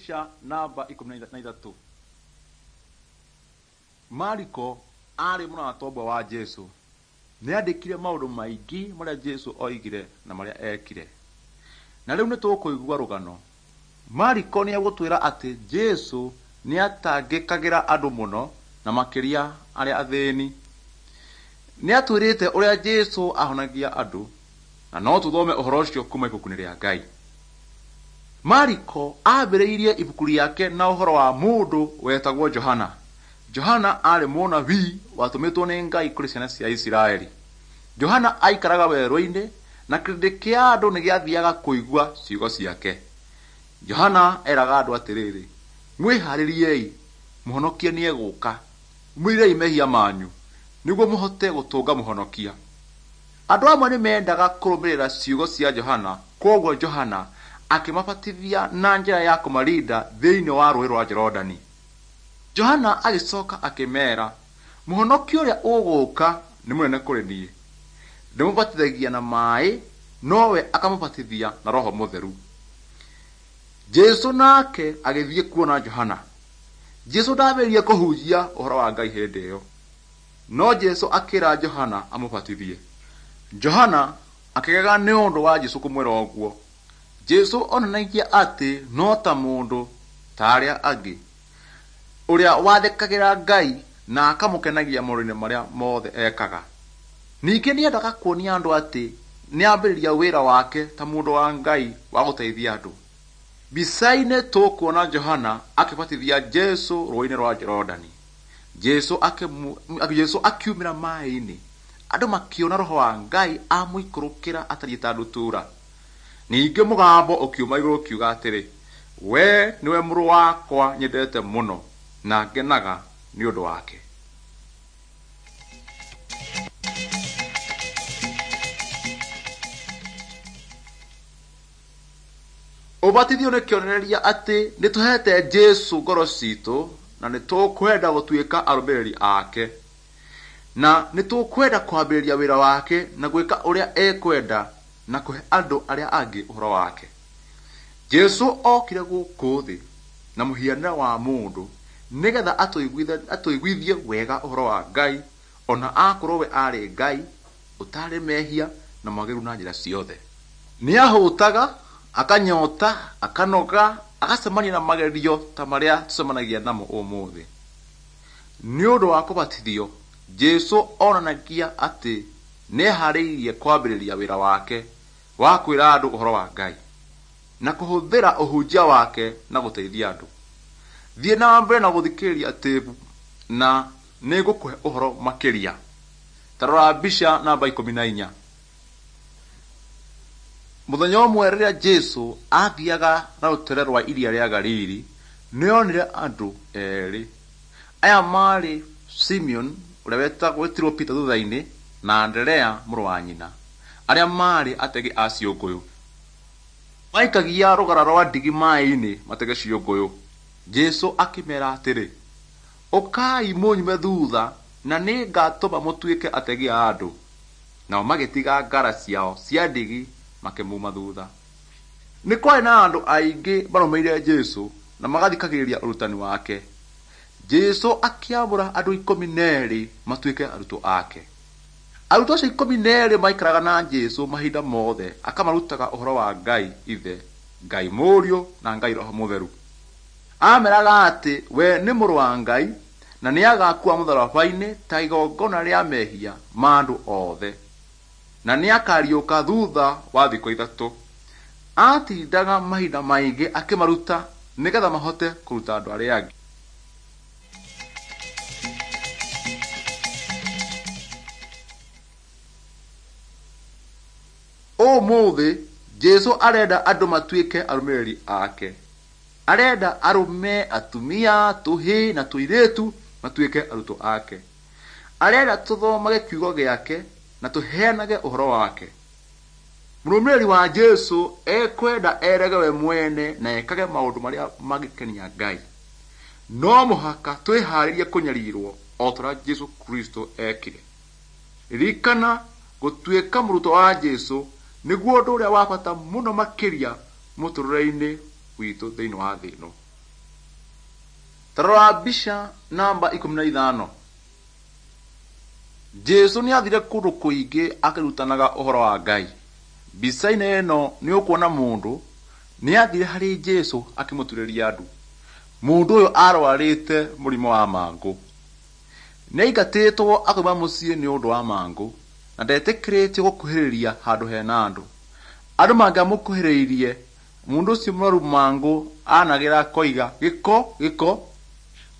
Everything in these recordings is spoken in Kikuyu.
Mbica namba 13. Mariko aarĩ mũrata ũmwe wa Jesu. Nĩandĩkire maũndũ maingĩ marĩa Jesu oigire na marĩa ekire. Na rĩu nĩtũkũigua rũgano. Mariko nĩegũtwĩra atĩ Jesu nĩatangĩkagĩra andũ mũno na makĩria arĩa athĩni. Nĩatwĩrĩte ũrĩa Jesu ahonagia andũ na no tũthome ũhoro ũcio kuma ibuku-inĩ rĩa Ngai. Mariko ambĩrĩirie ibuku rĩake na ũhoro wa mũndũ wetagwo Johana. Johana aarĩ mũnabii watũmĩtwo nĩ Ngai kũrĩ ciana cia Isiraeli. Johana aikaraga werũ-inĩ na kĩrĩndĩ kĩa andũ nĩ gĩathiaga kũigua ciugo ciake. Johana eraga andũ atĩrĩrĩ, mwĩharĩriei, mũhonokia nĩegũka, mwĩrirei mehia manyu nĩguo mũhote gũtũnga mũhonokia. Andũ amwe nĩ meendaga kũrũmĩrĩra ciugo cia Johana, kwoguo Johana akĩmabatithia na njĩra ya kũmarinda thĩinĩ wa rũũĩ rwa Jorodani. Johana agĩcoka akĩmeera, mũhonokia ũrĩa ũgũũka nĩ mũnene kũrĩ niĩ. Ndĩmũbatithagia na maaĩ, nowe akamũbatithia na Roho Mũtheru. Jesu nake agĩthiĩ kuona Johana. Jesu ndambĩrĩirie kũhunjia ũhoro wa Ngai hĩndĩ ĩyo. No Jesu akĩra Johana amũbatithie. Johana akĩgega nĩ ũndũ wa Jesu kũmwĩra ũguo. Jesu onanagia atĩ no ta mũndũ ta arĩa angĩ, ũrĩa wathĩkagĩra Ngai na akamũkenagia maũndũ-inĩ marĩa mothe ekaga. Ningĩ nĩendaga kuonia andũ atĩ nĩambĩrĩria wĩra wake ta mũndũ wa Ngai wa gũteithia andũ. Mbica-inĩ tũkuona Johana akĩbatithia Jesu rũũĩ-inĩ rwa Jorodani. Jesu akiumĩra maaĩ-inĩ. Andũ makĩona Roho wa Ngai amũikũrũkĩra atariĩ ta ndutura. Ningĩ mũgambo ũkiuma igũrũ ũkiuga atĩrĩ, we nĩwe mũrũ wakwa nyendete mũno na ngenaga nĩ ũndũ wake. Ũbatithio nĩ kĩonereria atĩ nĩtũhete Jesu ngoro citũ na nĩtũkwenda gũtuĩka arũmĩrĩri ake. Na nĩtũkwenda kwambĩrĩria wĩra wake na gwĩka ũrĩa ekwenda na kũhe andũ arĩa angĩ ũhoro wake. Jesu okire gũkũ thĩ na mũhianĩre wa mũndũ nĩgetha atũiguithie wega ũhoro wa Ngai, ona akorwo we aarĩ Ngai ũtarĩ mehia na mwagĩrĩru na njĩra ciothe. Nĩahũtaga, akanyota, akanoga, agacemania na magerio ta marĩa tũcemanagia namo ũmũthĩ. Nĩ ũndũ wa kũbatithio, Jesu onanagia atĩ nĩeharĩirie kwambĩrĩria wĩra wake wa kwĩra andũ ũhoro wa Ngai na kũhũthĩra ũhunjia wake na gũteithia andũ. Thiĩ na mbere na gũthikĩrĩria tĩbu na nĩngũkũhe ũhoro makĩria. Ta rora mbica namba 14. Mũthenya ũmwe rĩrĩa Jesu aathiaga na rũtere rwa iria rĩa Galili, nĩonire andũ erĩ. Aya maarĩ Simeon ũrĩa wetirwo Peter thutha-inĩ na Anderea mũrũ wa nyina, arĩa maarĩ ategi a ciũngũyũ. Maikagia rũgara rwa ndigi maaĩ-inĩ matege ciũngũyũ. Jesu akĩmeera atĩrĩ, ũkai mũnyume thutha na nĩngatũma mũtuĩke ategi a andũ. Nao magĩtiga ngara ciao cia ndigi makĩmuma thutha. Nĩ kwarĩ na andũ aingĩ marũmĩrĩire Jesu na magathikagĩrĩria ũrutani wake. Jesu akĩamũra andũ 12 matuĩke arutwo ake. Arutwo acio 12 maikaraga na Jesu mahinda mothe, akamarutaga ũhoro wa Ngai Ithe, Ngai Mũriũ na Ngai Roho Mũtheru. Ameraga atĩ we nĩ mũrũ wa Ngai na nĩagakua mũtharaba-inĩ ta igongona rĩa mehia ma andũ othe, na nĩakariũka thutha wa thikũ 3. Atindaga mahinda maingĩ akĩmaruta nĩgetha mahote kũruta andũ arĩa angĩ. Ũmũthĩ Jesu arenda andũ matuĩke arũmĩrĩri ake. Arenda arũme, atumia, tũhĩĩ na tũirĩtu matuĩke arutwo ake. Arenda tũthomage kiugo gĩake na tũheanage ũhoro wake. Mũrũmĩrĩri wa Jesu ekwenda erege we mwene na ekage maũndũ marĩa mangĩkenia Ngai. No mũhaka twĩharĩrie kũnyarirwo o ta ũrĩa Jesu Kristo ekire. Ririkana gũtuĩka mũrutwo wa Jesu nĩguo ũndũ ũrĩa wa bata mũno makĩria mũtũrĩre-inĩ witũ thĩinĩ wa thĩ ĩno. Ta rora mbica namba 15. Jesũ nĩ aathire kũndũ kũingĩ akĩrutanaga ũhoro wa Ngai. Mbica-inĩ ĩno nĩ ũkuona mũndũ nĩ aathire harĩ Jesũ akĩmũturĩria ndu. Mũndũ ũyũ arwarĩte mũrimũ wa mangũ. Nĩ aingatĩtwo akoima mũciĩ nĩ ũndũ wa mangũ na ndetĩkĩrĩtio gũkuhĩrĩria handũ hena andũ. Andũ mangĩamũkuhĩrĩirie, mũndũ ũcio mũrwaru mangũ anagĩra akoiga gĩko gĩko,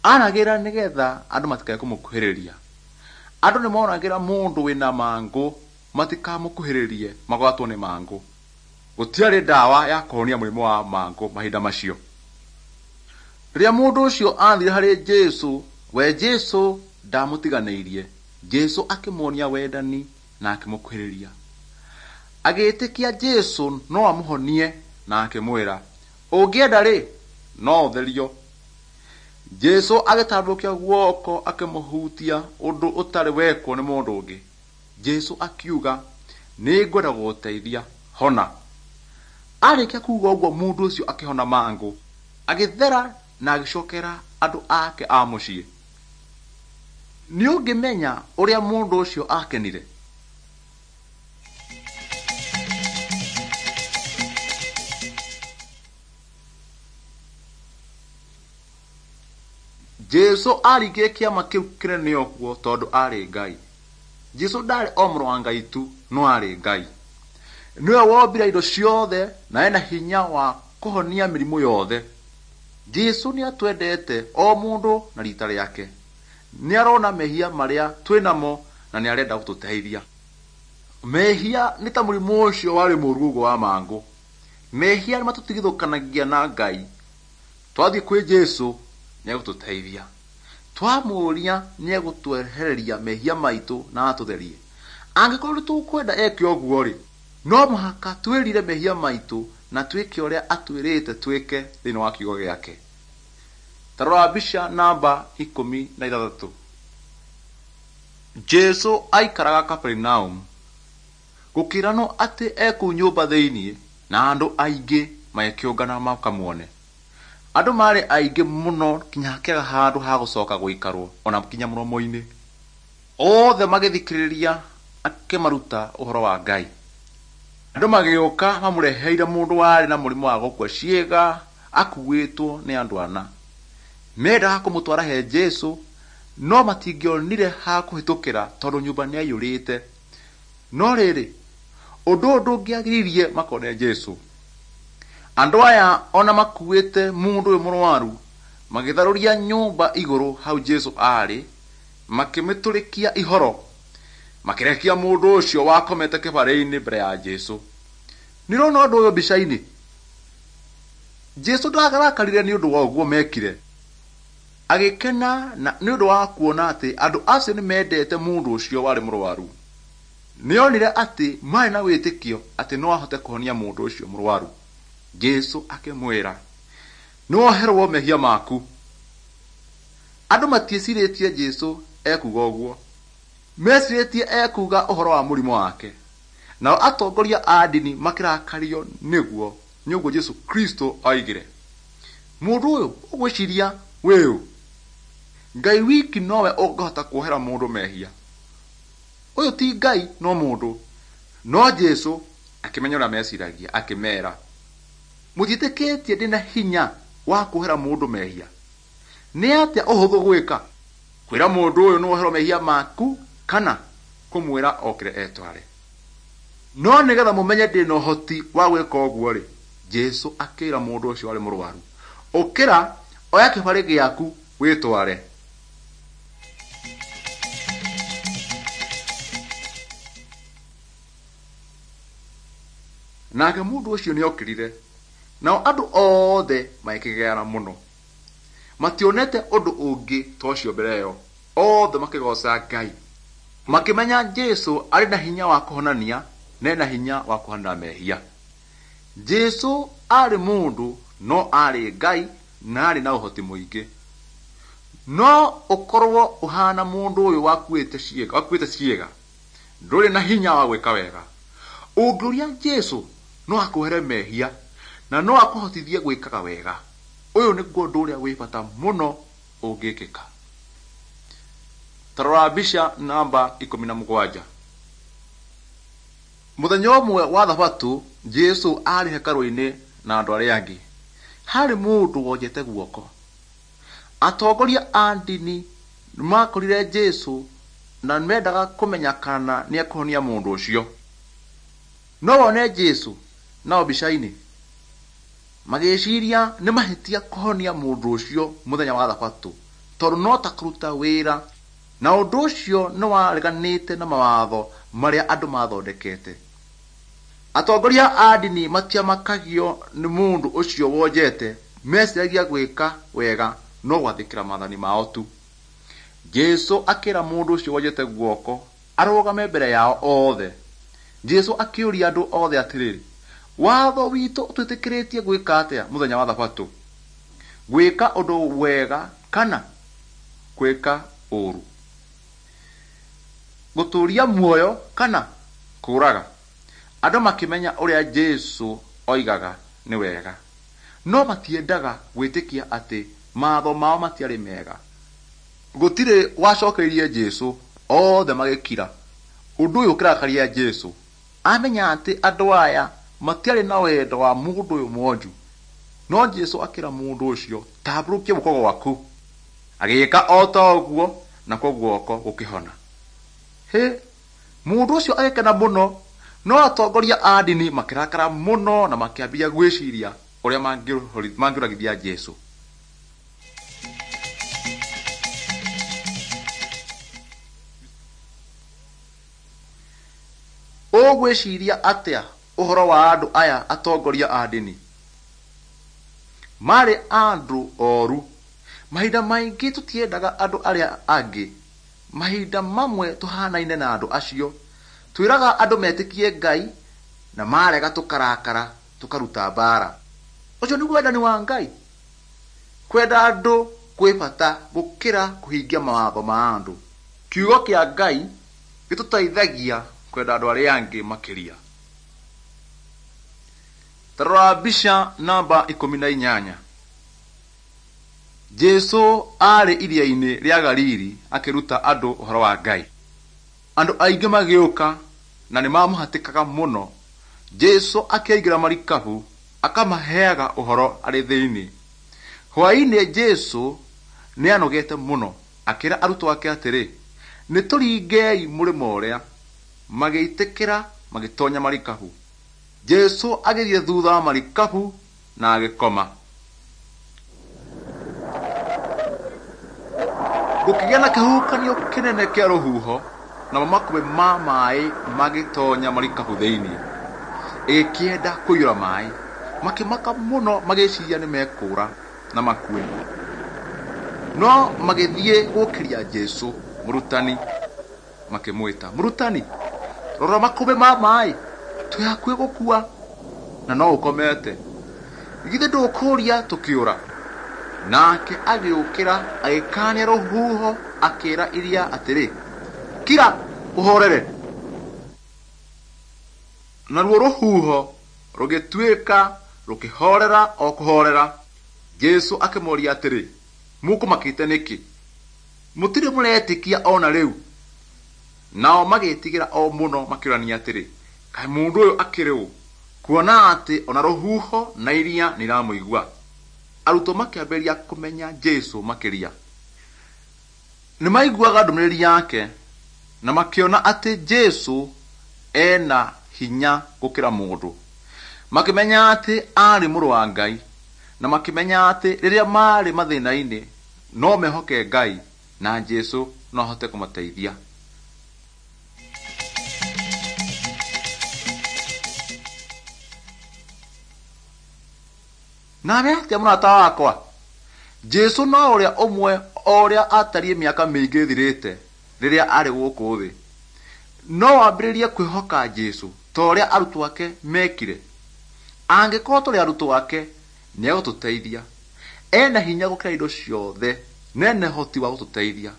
anagĩra nĩgetha andũ matikae kũmũkuhĩrĩria. Andũ nĩ monagĩra mũndũ wĩna mangũ matikamũkuhĩrĩrie magwatwo nĩ mangũ. Gũtiarĩ ndawa ya kũhonia mũrimũ wa mangũ mahinda macio. Rĩrĩa mũndũ ũcio aathire harĩ Jesũ, we Jesũ ndamũtiganĩirie. Jesũ akĩmuonia wendani na akĩmũkuhĩrĩria. Agĩĩtĩkia Jesũ no amũhonie na akĩmwĩra, ũngĩenda-rĩ, no ũtherio. Jesũ agĩtambũrũkia guoko akĩmũhutia ũndũ ũtarĩ wekwo nĩ mũndũ ũngĩ. Jesũ akiuga, nĩngwenda gũgũteithia, hona. Arĩkia kuuga ũguo mũndũ ũcio akĩhona mangũ, agĩthera na agĩcokera andũ ake a mũciĩ. Nĩ ũngĩmenya ũrĩa mũndũ ũcio akenire? Jesũ aringire kĩama kĩu kĩnene ũguo tondũ aarĩ Ngai. Jesũ ndaarĩ o mũrũ wa Ngai tu, no aarĩ Ngai. Nĩwe wombire indo ciothe na ena hinya wa kũhonia mĩrimũ yothe. Jesũ nĩ atwendete o mũndũ na rita rĩake. Nĩ arona mehia marĩa twĩnamo na nĩ arenda gũtũteithia. Mehia nĩ ta mũrimũ ũcio warĩ mũũru ũguo wa mangũ. Mehia nĩ matũtigithũkanagia na Ngai. Twathiĩ kwĩ Jesũ nĩ egũtũteithia. Twamũũria nĩ egũtwehereria mehia maitũ na atũtherie. Angĩkorwo nĩ tũkwenda eke ũguo-rĩ, no mũhaka twĩrire mehia maitũ na twĩke ũrĩa atwĩrĩte twĩke thĩinĩ wa kiugo gĩake. Ta rora mbica namba 16. Jesũ aikaraga Kaperinaumu. Gũkĩranwo atĩ e kũu nyũmba thĩinĩ na andũ aingĩ magĩkĩũngana makamuone. Andũ maarĩ aingĩ mũno nginya hakĩaga handũ ha gũcoka gũikarwo ona nginya mũromo-inĩ. Othe magĩthikĩrĩria akĩmaruta ũhoro wa Ngai. Andũ magĩũka mamũreheire mũndũ warĩ na mũrimũ wa gũkua ciĩga akuĩtwo nĩ andũ ana. Mendaga kũmũtwara he Jesũ no matingĩonire ha kũhĩtũkĩra tondũ nyũmba nĩyaiyũrĩte. No rĩrĩ, ũndũ ũyũ ndũngĩagiririe makone Jesũ. Andũ aya ona makuĩte mũndũ ũyũ mũrwaru magĩtharũria nyũmba igũrũ hau Jesũ aarĩ, makĩmĩtũrĩkia ihoro, makĩrekia mũndũ ũcio wakomete kĩbarĩ-inĩ mbere ya Jesũ. Nĩ ũrona ũndũ ũyũ mbica-inĩ? Jesũ ndarakarire nĩ ũndũ wa ũguo mekire. Agĩkena nĩ ũndũ wa kuona atĩ andũ acio nĩ mendete mũndũ ũcio warĩ mũrwaru. Nĩ onire atĩ maarĩ na wĩtĩkio atĩ no ahote kũhonia mũndũ ũcio mũrwaru. Jesũ akĩmwĩra, nĩ woherwo mehia maku. Andũ matiecirĩtie Jesũ ekuuga ũguo. Mecirĩtie ekuuga ũhoro wa mũrimũ wake. Nao atongoria a ndini makĩrakario nĩguo nĩ ũguo Jesũ Kristo oigire. Mũndũ ũyũ ũgwĩciria wĩũ? Ngai wiki nowe ũngĩhota kuohera mũndũ mehia. Ũyũ ti Ngai no mũndũ. No Jesũ akĩmenya ũrĩa meciragia akĩmera, mũtiĩtĩkĩtie ndĩna hinya wa kuohera mũndũ mehia? Nĩ atĩa ũhũthũ gwĩka, kwĩra mũndũ ũyũ nĩ woherwo mehia maku kana kũmwĩra okĩre etware? No nĩgetha mũmenye ndĩna ũhoti wa gwĩka ũguo-rĩ, Jesũ akĩra mũndũ ũcio warĩ mũrwaru, ũkĩra, oya kĩbarĩ gĩaku wĩtware. Nake mũndũ ũcio nĩokĩrire, nao andũ othe magĩkĩgeana mũno. Mationete ũndũ ũngĩ ta ũcio mbere ĩyo. Othe makĩgooca Ngai. Makĩmenya Jesũ arĩ na hinya wa kũhonania na ena hinya wa kũhanĩra mehia. Jesũ aarĩ mũndũ no aarĩ Ngai na aarĩ na ũhoti mũingĩ. No ũkorwo ũhana mũndũ ũyũ wakuĩte ciĩga, ndũrĩ na hinya wa gwĩka wega. Ũngĩũria Jesũ no akuohere mehia na no akũhotithie gwĩkaga wega. Ũyũ nĩguo ũndũ ũrĩa wĩ bata mũno. ũngĩkĩka. Ta rora mbica namba 17. Mũthenya ũmwe wa thabatũ Jesũ aarĩ hekarũ-inĩ na andũ arĩa angĩ. Harĩ mũndũ wonjete guoko. Atongoria a ndini nĩmakorire Jesũ na mendaga kũmenya kana nĩekũhonia mũndũ ũcio. No wone Jesũ nao mbica-inĩ magĩciria nĩ mahĩtia kũhonia mũndũ ũcio mũthenya wa thabatũ tondũ no ta kũruta wĩra na ũndũ ũcio nĩ wareganĩte na mawatho marĩa andũ mathondekete. Atongoria a ndini matiamakagio nĩ mũndũ ũcio wonjete, meciragia gwĩka wega no gwathĩkĩra maathani mao tu. Jesũ akĩra mũndũ ũcio wonjete guoko arũgame mbere yao othe. Jesũ akĩũria andũ othe atĩrĩrĩ, watho witũ ũtwĩtĩkĩrĩtie gwĩka atĩa mũthenya wa thabatũ? Gwĩka ũndũ wega kana gwĩka ũũru? Gũtũũria muoyo kana kũũraga? Andũ makĩmenya ũrĩa Jesũ oigaga nĩ wega, no matiendaga gwĩtĩkia atĩ maatho mao matiarĩ mega. Gũtirĩ wacokeirie Jesũ, othe magĩkira. Ũndũ ũyũ ũkĩrakaria Jesũ. Amenya atĩ andũ aya matiarĩ na wendo wa mũndũ ũyũ mwonju. No Jesũ akĩra mũndũ ũcio, tambũrũkia guoko gwaku. Agĩĩka o ta ũguo, nakuo guoko gũkĩhona. Hĩ, mũndũ ũcio agĩkena mũno, no atongoria a ndini makĩrakara mũno na makĩambia gwĩciria ũrĩa mangĩũragithia Jesũ. Ũgwĩciria atĩa ũhoro wa andũ aya atongoria a ndini? Marĩ andũ oru. Mahinda maingĩ tũtiendaga andũ arĩa angĩ. Mahinda mamwe tũhanaine na andũ acio. Twĩraga andũ metĩkie Ngai na marega tũkarakara tũkaruta mbaara. Ũcio nĩguo wendani wa Ngai? Kwenda andũ kwĩ bata gũkĩra kũhingia mawatho ma andũ. Kiugo kĩa Ngai gĩtũteithagia kwenda andũ arĩa angĩ makĩria. Ta rora mbica namba 18. Jesũ aarĩ iria-inĩ rĩa Galili akĩruta andũ ũhoro wa Ngai. Andũ aingĩ magĩũka na nĩmamũhatĩkaga mũno. Jesũ akĩingĩra marikabu akamaheaga ũhoro arĩ thĩinĩ. Hwaĩ-inĩ Jesũ nĩanogete mũno, akĩra arutwo ake atĩrĩ, nĩtũringei mũrĩmo ũrĩa. Magĩĩtĩkĩra magĩtoonya marikabu. Jesũ agĩthiĩ thutha wa marikabu na agĩkoma. Gũkĩgĩa na kĩhuhũkanio kĩnene kĩa rũhuho namo makũmbĩ ma maaĩ magĩtoonya marikabu thĩinĩ. Ĩgĩkĩenda kũiyũra maaĩ. Makĩmaka mũno magĩciria nĩmekũũra na makue. No magĩthiĩ gũũkĩria Jesũ, mũrutani, makĩmwĩta, mũrutani, rora makũmbĩ ma maaĩ, twĩ hakuhĩ gũkua na no ũkomete. Githĩ ndũkũũria tũkĩũra? Nake agĩũkĩra agĩkaania rũhuho akĩĩra iria atĩrĩ, kira ũhorere. Naruo rũhuho rũgĩtuĩka rũkĩhorera o kũhorera. Jesũ akĩmoria atĩrĩ, mũkũmakĩte nĩkĩ? Mũtirĩ mũretĩkia o na rĩu? Nao magĩĩtigĩra o mũno makĩũrania atĩrĩ, kaĩ mũndũ ũyũ akĩrĩ ũ, kuona atĩ ona rũhuho na iria nĩiramũigua? Arutwo makĩambĩrĩria kũmenya Jesũ makĩria. Nĩmaiguaga ndũmĩrĩri yake na makĩona atĩ Jesũ ena hinya gũkĩra mũndũ. Makĩmenya atĩ aarĩ mũrũ wa Ngai na makĩmenya atĩ rĩrĩa maarĩ mathĩna-inĩ no mehoke Ngai na Jesũ no ahote kũmateithia. Nawe atĩa mũrata wakwa? Jesũ no ũrĩa ũmwe o ũrĩa atariĩ mĩaka mĩingĩ ĩthirĩte rĩrĩa arĩ gũkũ thĩ. No wambĩrĩrie kwĩhoka Jesũ ta ũrĩa arutwo ake mekire. Angĩkorwo tũrĩ arutwo ake, nĩegũtũteithia. Ena hinya gũkĩra indo ciothe na ena ũhoti wa gũtũteithia.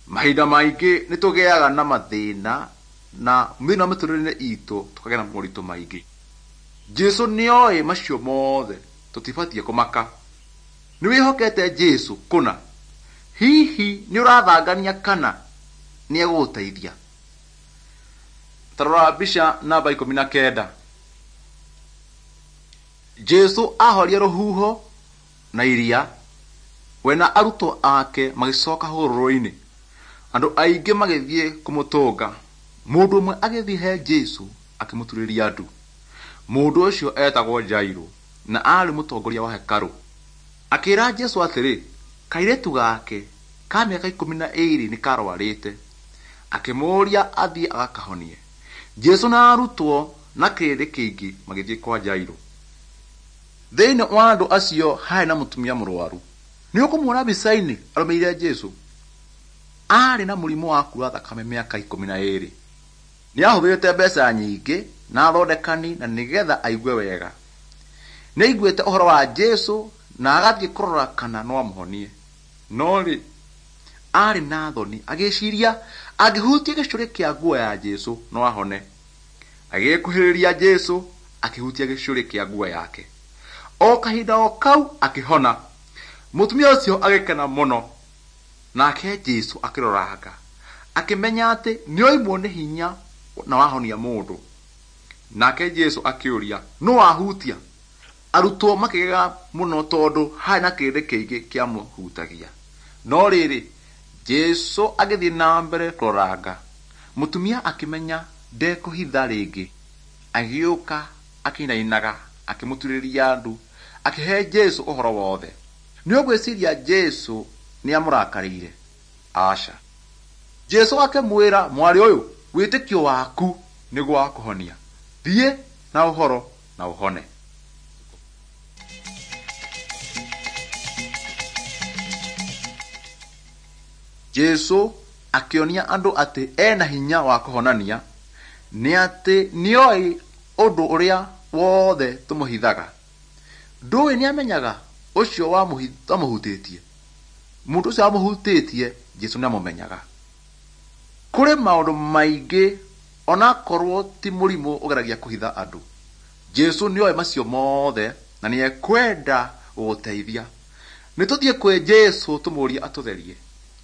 Mahinda maingĩ nĩtũgĩaga na mathĩna na thĩinĩ wa mĩtũrĩre itũ tũkagĩa na moritũ maingĩ. Jesũ nĩoĩ macio mothe, tũtibatiĩ kũmaka. Nĩwĩhokete Jesũ kũna? Hihi nĩ ũrathangania kana nĩ egũgũteithia? Ta rora mbica namba 19. Jesu ahoria rũhuho na iria, we na arutwo ake magĩcoka hũgũrũrũ-inĩ. Andũ aingĩ magĩthiĩ kũmũtũnga. Mũndũ ũmwe agĩthiĩ he Jesu akĩmũturĩria ndu. Mũndũ ũcio eetagwo Jairũ na aarĩ mũtongoria wa hekarũ. Akĩĩra Jesu atĩrĩ, kairĩtu gake ka mĩaka 12 nĩ karwarĩte. Akĩmũũria athiĩ agakahonie. Jesu na arutwo na kĩrĩndĩ kĩingĩ magĩthiĩ kwa Jairũ. Thĩinĩ wa andũ acio harĩ na mũtumia mũrwaru. Nĩ ũkũmuona mbica-inĩ arũmĩrĩire Jesu. Aarĩ na mũrimũ wa kuura thakame mĩaka 12. Nĩ aahũthĩrĩte mbeca nyingĩ na athondekani na nĩgetha aigue wega. Nĩ aiguĩte ũhoro wa Jesu na agathiĩ kũrora kana no amũhonie. No rĩ, aarĩ na thoni agĩciria angĩhutia gĩcũrĩ kĩa nguo ya Jesu no ahone. Agĩkuhĩrĩria Jesu akĩhutia gĩcũrĩ kĩa nguo yake. O kahinda o kau akĩhona. Mũtumia ũcio agĩkena mũno. Nake Jesu akĩroranga, akĩmenya atĩ nĩoimwo nĩ hinya na wahonia mũndũ. Nake Jesu akĩũria, nũ wahutia? Arutwo makĩgega mũno tondũ harĩ na kĩrĩndĩ kĩingĩ kĩamũhutagia. No rĩrĩ, Jesu agĩthiĩ na mbere kũroranga. Mũtumia akĩmenya ndekũhitha rĩngĩ. Agĩũka akĩinainaga, akĩmũturĩria ndu, akĩhe Jesu ũhoro wothe. Nĩ ũgwĩciria Jesu nĩ amũrakarĩire? Aca. Jesu akĩmwĩra, mwarĩ ũyũ, wĩtĩkio waku nĩguo wakũhonia. Thiĩ na ũhoro na ũhone. Jesu akĩonia andũ atĩ ena hinya wa kũhonania nĩ atĩ nĩoĩ ũndũ ũrĩa wothe tũmũhithaga. Ndũĩ nĩamenyaga ũcio wamũhutĩtie? Mũndũ ũcio wamũhutĩtie Jesu nĩamũmenyaga. Kũrĩ maũndũ maingĩ onakorwo ti mũrimũ ũgeragia kũhitha andũ. Jesu nĩoĩ macio mothe na nĩekwenda gũgũteithia. Nĩ tũthiĩ kwĩ Jesu tũmũrie atũtherie.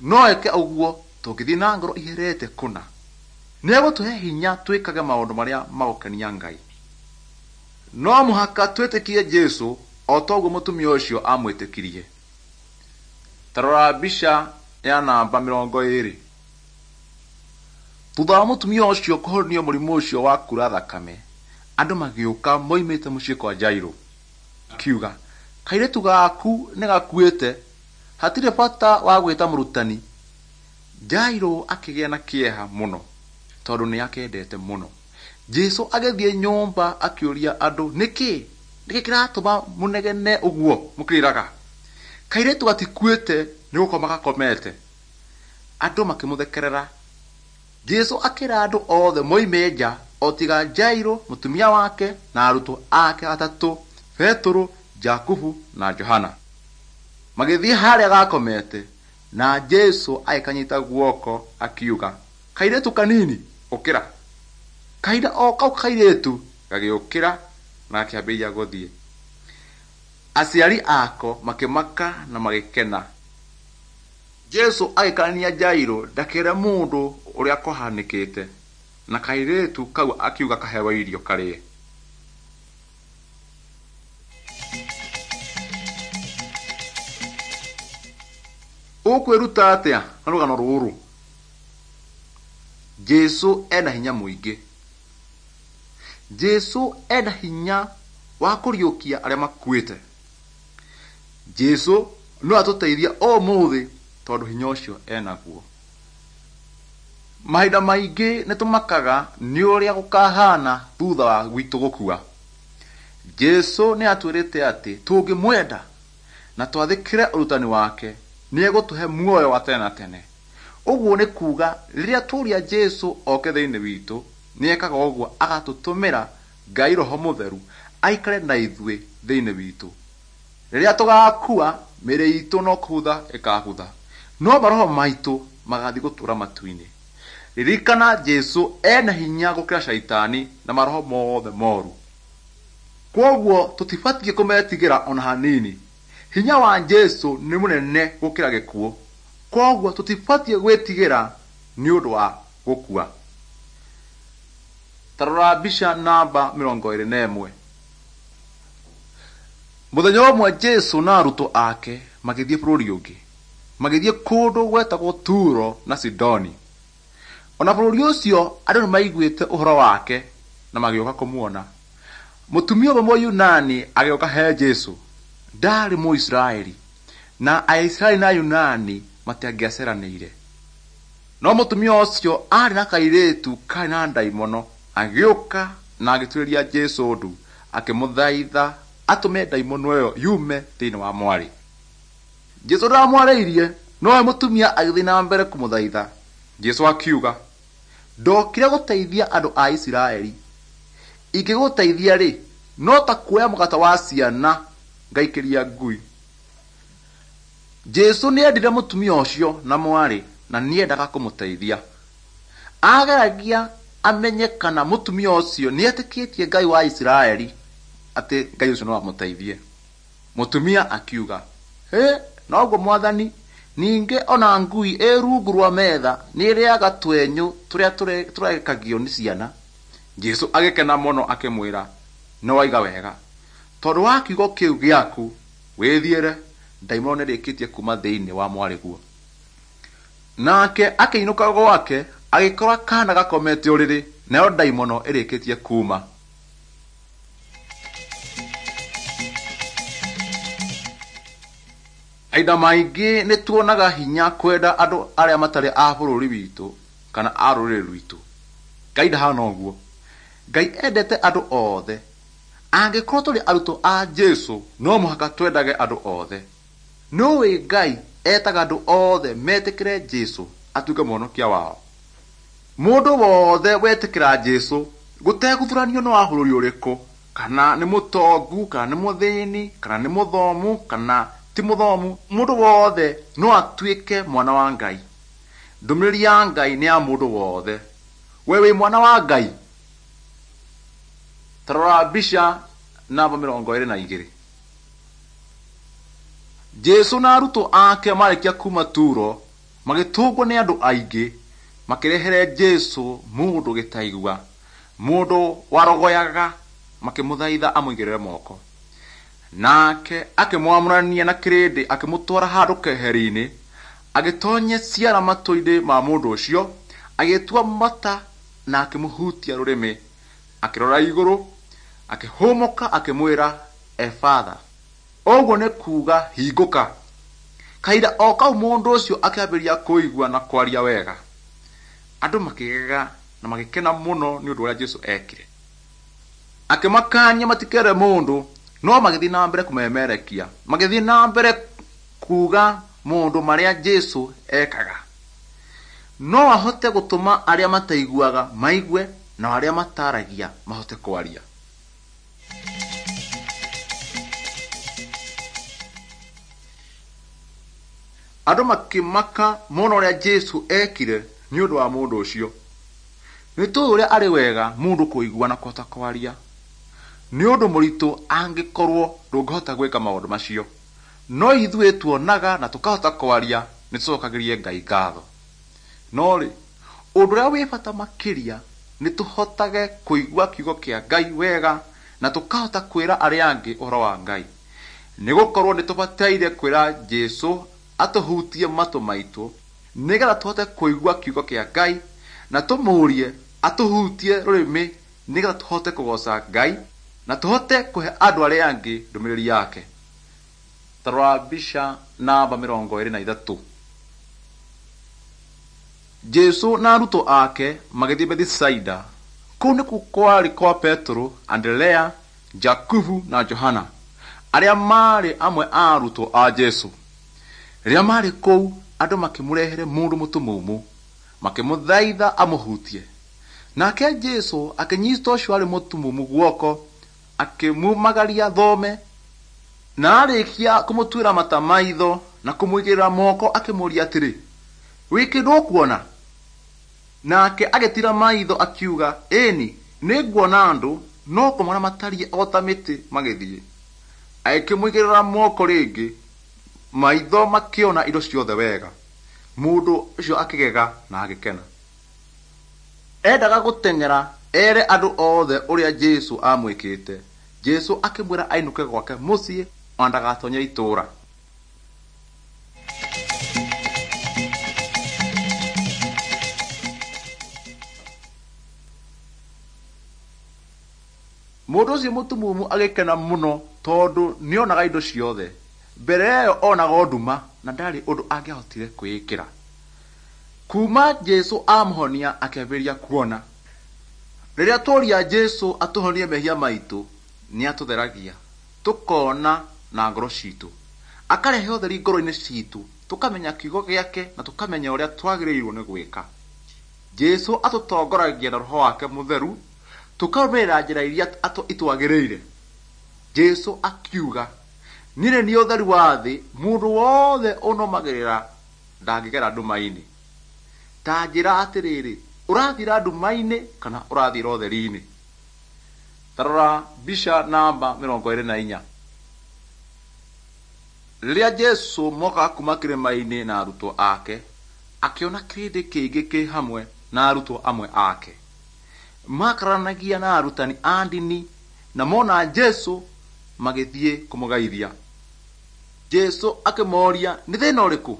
No eke ũguo tũngĩthiĩ na ngoro iherete kũna. Nĩegũtũhe hinya twĩkage maũndũ marĩa magũkenia Ngai. No mũhaka twĩtĩkie Jesu o toguo mũtumia ũcio amwĩtĩkirie. Ta rora mbica ya namba 20. Thutha wa mũtumia ũcio kũhonio mũrimũ ũcio wa kuura thakame, andũ magĩũka moimĩte mũciĩ kwa Jairũ. Akiuga, kairĩtu gaku nĩ gakuĩte, hatirĩ bata wa gwĩta mũrutani. Jairũ akĩgĩa na kĩeha mũno tondũ nĩ akendete mũno. Jesu agĩthiĩ nyũmba akĩũria andũ, nĩkĩ? Nĩkĩ kĩratũma mũnegene ũguo mũkĩrĩraga? Kairĩtu gatikuĩte nĩ gũkoma gakomete. Andũ makĩmũthekerera. Jesu akĩra andũ othe moime nja o tiga Jairũ, mũtumia wake na arutwo ake atatũ, Petũrũ, Jakubu na Johana. Magĩthiĩ harĩa gakomete na Jesu agĩkanyita guoko akiuga, kairĩtu kanini, ũkĩra. Kahinda o kau kairĩtu gagĩũkĩra na gakĩambĩrĩria gũthiĩ. Aciari ako makĩmaka na magĩkena. Jesu agĩkaania Jairũ ndakere mũndũ ũrĩa kwahanĩkĩte, na kairĩtu kau akiuga kaheo irio karĩe. Ũkwĩruta atĩa na rũgano rũrũ? Jesu ena hinya mũingĩ. Jesu ena hinya wa kũriũkia arĩa makuĩte. Jesu no atũteithie ũmũthĩ tondũ hinya ũcio enaguo. Mahinda maingĩ nĩ tũmakaga nĩ ũrĩa gũkahana thutha wa gwitũ gũkua. Jesu nĩ atwĩrĩte atĩ tũngĩmwenda na twathĩkĩre ũrutani wake nĩ egũtũhe muoyo wa tene na tene. Ũguo nĩ kuuga rĩrĩa tũria Jesu oke thĩinĩ witũ, nĩ ekaga ũguo agatũtũmĩra Ngai Roho Mũtheru aikare na ithuĩ thĩinĩ witũ. Rĩrĩa tũgakua, mĩĩrĩ itũ no kũbutha ĩkabutha, no maroho maitũ magathiĩ gũtũũra matu-inĩ. Ririkana Jesu ena hinya gũkĩra caitani na maroho mothe moru. Kwoguo tũtibatiĩ kũmetigĩra ona hanini. Hinya wa Jesu nĩ mũnene gũkĩra gĩkuũ. Koguo tũtibatiĩ gwĩtigĩra nĩ ũndũ wa gũkua. Ta rora mbica namba 21. Mũthenya ũmwe Jesũ na arutwo ake magĩthiĩ bũrũri ũngĩ, magĩthiĩ kũndũ gwetagwo Turo na Sidoni. Ona bũrũri ũcio andũ nĩmaiguĩte ũhoro wake na magĩũka kũmuona. Mũtumia ũmwe Mũyunani agĩũka he Jesũ. Ndaarĩ Mũisiraeli, na Aisiraeli na Ayunani matiangĩaceranĩire. No mũtumia ũcio aarĩ na kairĩtu karĩ na ndaimono, agĩũka na agĩturĩria Jesũ ndu, akĩmũthaitha atũme ndaimono ĩyo yume thĩinĩ wa mwarĩ. Jesũ ndamwarĩirie, nowe mũtumia agĩthiĩ na mbere kũmũthaitha. Jesũ akiuga, ndokire gũteithia andũ a Isiraeli. Ingĩgũteithia rĩ, no ta kuoya mũgate wa ciana ngaikĩria ngui. Jesũ nĩendire mũtumia ũcio na mwarĩ na nĩendaga kũmũteithia. Ageragia amenye kana mũtumia ũcio nĩetĩkĩtie Ngai wa Isiraeli atĩ Ngai ũcio no amũteithie. Mũtumia akiuga, hĩ, noguo mwathani, ningĩ ona ngui ĩ rungu rwa metha nĩĩrĩaga twenyũ tũrĩa tũrekagio nĩ ciana. Jesũ agĩkena mũno akĩmwĩra, nĩwoiga wega, tondũ wa kiugo kĩu gĩaku wĩthiĩre, ndaimono nĩrĩkĩtie kuma thĩinĩ wa mwarĩguo. Nake akĩinũka gwake agĩkora kaana gakomete ũrĩrĩ, nayo ndaimono ĩrĩkĩtie kuma. Mahinda maingĩ nĩ tuonaga hinya kwenda andũ arĩa matarĩ a bũrũri witũ kana a rũrĩrĩ rwitũ. Ngai ndahana ũguo. Ngai endete andũ othe. Angĩkorwo tũrĩ arutwo a Jesũ, no mũhaka twendage andũ othe. Nĩũĩ Ngai etaga andũ othe metĩkĩre Jesũ atuĩke mũhonokia wao. Mũndũ wothe wetĩkĩra Jesũ gũtegũthuranio nĩ wa bũrũri ũrĩkũ, kana nĩ mũtongu, kana nĩ mũthĩni, kana nĩ mũthomu, kana ti mũthomu, mũndũ wothe no atuĩke mwana wa Ngai. Ndũmĩrĩri ya Ngai nĩ ya mũndũ wothe. We wĩ mwana wa Ngai? Ta rora mbica namba 22. Jesũ na arutwo ake marĩkia kuma Turo, magĩtũngwo nĩ andũ aingĩ, makĩrehere Jesũ mũndũ gĩtaigua, mũndũ warogoyaga, makĩmũthaitha amũigĩrĩre moko. Nake akĩmwamũrania na kĩrĩndĩ akĩmũtwara handũ keheri-inĩ, agĩtoonyia ciara matũ-inĩ ma mũndũ ũcio, agĩtua mata na akĩmũhutia rũrĩmĩ. Akĩrora igũrũ, akĩhũmũka akĩmwĩra, Efatha. Ũguo nĩ kuuga hingũka. Kahinda o kau mũndũ ũcio akĩambĩrĩria kũigua na kwaria wega. Andũ makĩgega na magĩkena mũno nĩ ũndũ ũrĩa Jesũ ekire. Akĩmakania matikere mũndũ, no magĩthiĩ na mbere kũmemerekia, magĩthiĩ na mbere kuuga maũndũ marĩa Jesũ ekaga. No ahote gũtũma arĩa mataiguaga maigue na arĩa mataragia mahote kwaria. Andũ makĩmaka mona ũrĩa Jesũ ekire nĩ ũndũ wa mũndũ ũcio. Nĩ tũĩ ũrĩa arĩ wega mũndũ kũigua na kũhota kwaria. Nĩ ũndũ mũritũ angĩkorwo ndũngĩhota gwĩka maũndũ macio. No ithuĩ tuonaga na tũkahota kwaria nĩ tũcokagĩrie Ngai ngatho. No rĩ, ũndũ ũrĩa wĩ bata makĩria nĩ tũhotage kũigua kiugo kĩa Ngai wega na tũkahota kwĩra arĩa angĩ ũhoro wa Ngai. Nĩ gũkorwo nĩ tũbataire kwĩra Jesũ atũhutie matũ maitũ nĩgetha tũhote kũigua kiugo kĩa Ngai na tũmũrie atũhutie rũrĩmĩ nĩgetha tũhote kũgoca Ngai na tũhote kũhe andũ arĩa angĩ ndũmĩrĩri yake. Ta rora mbica namba 23. Jesũ na arutwo ake magĩthiĩ Bethisaida. Kũu nĩkuo kwarĩ kwa Petero, Anderea, Jakubu na Johana, arĩa maarĩ amwe a arutwo a Jesũ. Rĩrĩa maarĩ kũu, andũ makĩmũrehere mũndũ mũtumumu, makĩmũthaitha amũhutie. Nake Jesũ akĩnyita ũcio warĩ mũtumumu guoko, akĩmumagaria thome, na arĩkia kũmũtuĩra mata maitho na kũmũigĩrĩra moko akĩmũũria atĩrĩ, wĩ kĩndũ ũkuona? Nake agĩtiira maitho akiuga, ĩni, nĩnguona andũ, no kũmona matariĩ o ta mĩtĩ magĩthiĩ. Agĩkĩmũigĩrĩra moko rĩngĩ, maitho makĩona indo ciothe wega. Mũndũ ũcio akĩgega na agĩkena. Endaga gũteng'era ere andũ othe ũrĩa Jesũ amwĩkĩte. Jesũ akĩmwĩra ainũke gwake mũciĩ ona ndagatonye itũũra. Mũndũ ũcio mũtumumu agĩkena mũno tondũ nĩonaga indo ciothe. Mbere ĩyo onaga o nduma na ndarĩ ũndũ angĩahotire kwĩĩkĩra. Kuma Jesũ amũhonia akĩambĩrĩria kuona. Rĩrĩa tworia Jesũ atũhonie mehia maitũ, nĩatũtheragia, tũkona na ngoro citũ. Akarehe ũtheri ngoro-inĩ citũ, tũkamenya kiugo gĩake na tũkamenya ũrĩa twagĩrĩirwo nĩ gwĩka. Jesũ atũtongoragia na Roho wake Mũtheru, tũkarũmĩrĩra njĩra iria itwagĩrĩire. Jesũ akiuga, niĩ nĩ niĩ ũtheri wa thĩ, mũndũ wothe ũnũmagĩrĩra ndangĩgera nduma-inĩ. Ta njĩra atĩrĩrĩ, ũrathiĩra nduma-inĩ kana ũrathiĩra ũtheri-inĩ? Ta rora mbica namba 24. Rĩrĩa Jesũ mokaga kuma kĩrĩma-inĩ na arutwo ake, akĩona kĩrĩndĩ kĩingĩ kĩ hamwe na arutwo amwe ake. Makararanagia na arutani a ndini na mona Jesũ magĩthiĩ kũmũgeithia. Jesũ akĩmoria nĩ thĩna ũrĩkũ?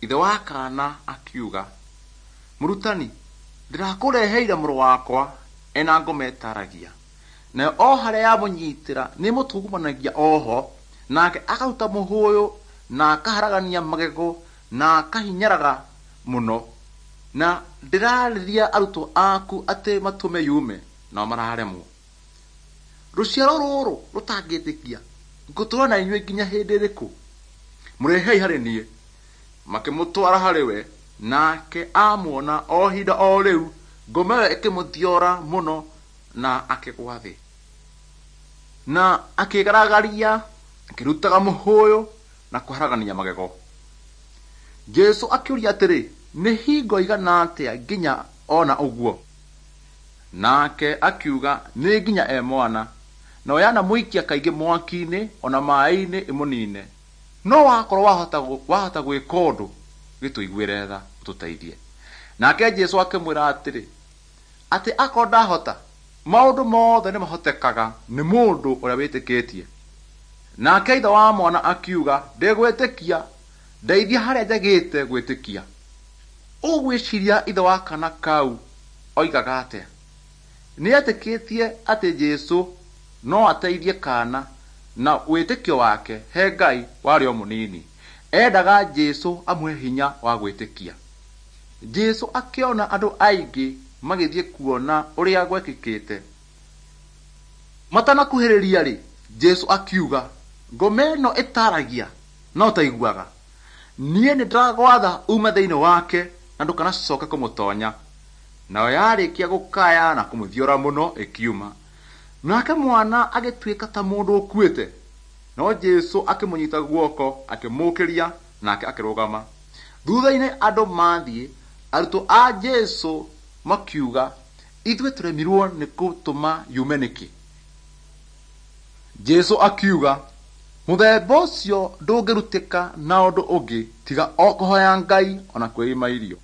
Ithe wa kaana akiuga, mũrutani, ndĩrakũreheire mũrũ wakwa ena ngoma ĩtaragia. Nayo o harĩa yamũnyitĩra nĩĩmũtungumanagia oho, nake akaruta mũhũyũ na akaharagania magego na akahinyaraga mũno. Na ndĩrarĩria arutwo aku atĩ matũme yume, nao mararemwo. Rũciaro rũrũ rũtangĩtĩkia, ngũtũũra na inyuĩ nginya hĩndĩ ĩrĩkũ? Mũrehei harĩ niĩ. Makĩmũtwara harĩ we, nake amuona o ihinda o rĩu ngoma ĩyo ĩkĩmũthiora mũno na akĩgwa thĩ. Na akĩgaragaria, akĩrutaga mũhũyũ na kũharagania magego. Jesũ akĩũria atĩrĩ, nĩ hingo igana atĩa nginya ona ũguo? Nake akiuga nĩ nginya e mwana, nayo yanamũikia kaingĩ mwaki-inĩ ona maĩ-inĩ ĩmũnine. No wakorwo wahota gwĩka ũndũ, gĩtũiguĩre tha ũtũteithie. Nake Jesũ akĩmwĩra atĩrĩ, atĩ akorwo ndahota, maũndũ mothe nĩmahotekaga nĩ mũndũ ũrĩa wĩtĩkĩtie. Nake ithe wa mwana akiuga, ndĩgwĩtĩkia, ndeithia harĩa njagĩte gwĩtĩkia. Ũgwĩciria ithe wa kana kau oigaga atĩa? Nĩetĩkĩtie atĩ Jesũ no ateithie kaana na wĩtĩkio wake he Ngai warĩ o mũnini. Endaga Jesũ amũhe hinya wa gwĩtĩkia. Jesũ akĩona andũ aingĩ magĩthiĩ kuona ũrĩa gwekĩkĩte. Matanakuhĩrĩria-rĩ, Jesũ akiuga, ngoma ĩno ĩtaragia no ũtaiguaga. Niĩ nĩndĩragwatha ume thĩinĩ wake na ndũkanacoke kũmũtonya. Nayo yarĩkia gũkaya na kũmũthiora mũno ĩkiuma. Nake mwana agĩtuĩka ta mũndũ ũkuĩte. No Jesũ akĩmũnyita guoko, akĩmũũkĩria, nake akĩrũgama. Thutha-inĩ andũ mathiĩ, arutwo a Jesũ makiuga, ithuĩ tũremirwo nĩ gũtũma yume nĩkĩ? Jesũ akiuga, mũthemba ũcio ndũngĩrutĩka na ũndũ ũngĩ tiga o kũhoya Ngai ona kwĩima irio.